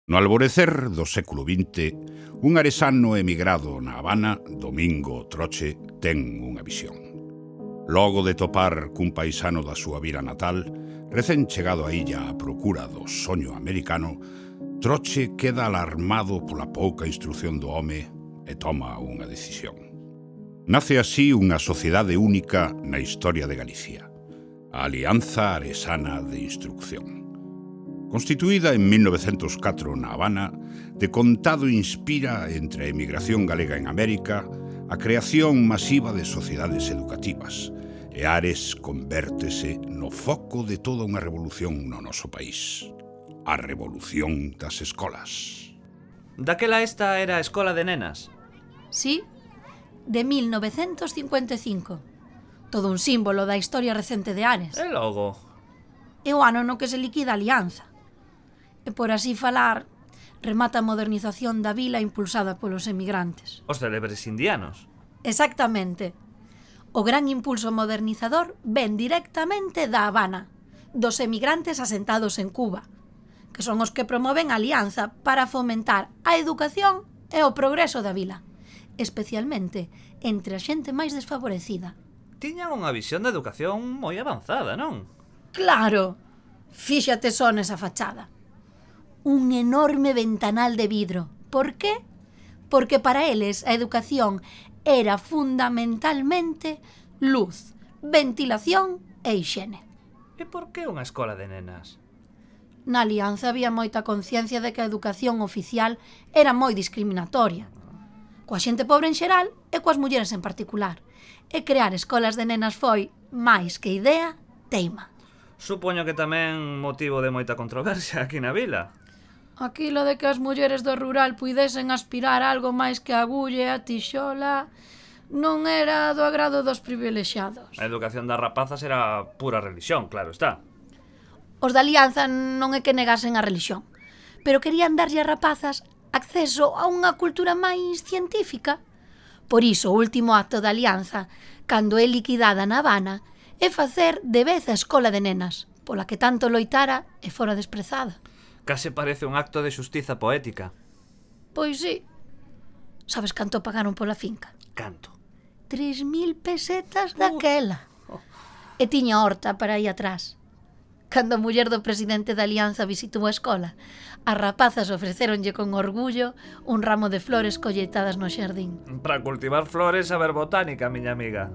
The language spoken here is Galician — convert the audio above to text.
No alvorecer do século XX, un aresano emigrado na Habana, Domingo Troche, ten unha visión. Logo de topar cun paisano da súa vila natal, recén chegado á illa á procura do soño americano, Troche queda alarmado pola pouca instrucción do home e toma unha decisión. Nace así unha sociedade única na historia de Galicia, a Alianza Aresana de Instrucción. Constituída en 1904 na Habana, de contado inspira entre a emigración galega en América a creación masiva de sociedades educativas, e Ares convértese no foco de toda unha revolución no noso país. A revolución das escolas. Daquela esta era a escola de nenas. Sí, de 1955. Todo un símbolo da historia recente de Ares. E logo? É o ano no que se liquida a Alianza. E por así falar, remata a modernización da vila impulsada polos emigrantes. Os célebres indianos. Exactamente. O gran impulso modernizador ven directamente da Habana, dos emigrantes asentados en Cuba, que son os que promoven a alianza para fomentar a educación e o progreso da vila, especialmente entre a xente máis desfavorecida. Tiñan unha visión de educación moi avanzada, non? Claro! Fíxate só nesa fachada. Un enorme ventanal de vidro. Por qué? Porque para eles a educación era fundamentalmente luz, ventilación e hixiene. E por que unha escola de nenas? Na Alianza había moita conciencia de que a educación oficial era moi discriminatoria, coa xente pobre en xeral e coas mulleres en particular. E crear escolas de nenas foi, máis que idea, teima. Supoño que tamén motivo de moita controversia aquí na vila. Aquilo de que as mulleres do rural puidesen aspirar algo máis que a agulla e a tixola non era do agrado dos privilexiados. A educación das rapazas era pura religión, claro está. Os da Alianza non é que negasen a religión, pero querían darlle a rapazas acceso a unha cultura máis científica. Por iso, o último acto da Alianza, cando é liquidada na Habana, é facer de vez a escola de nenas, pola que tanto loitara e fora desprezada. Case parece un acto de xustiza poética. Pois sí. Sabes canto pagaron pola finca? Canto? 3.000 pesetas daquela. E tiña horta para aí atrás. Cando a muller do presidente da Alianza visitou a escola, as rapazas ofrecéronlle con orgullo un ramo de flores colleitadas no xardín. Para cultivar flores, saber botánica, miña amiga.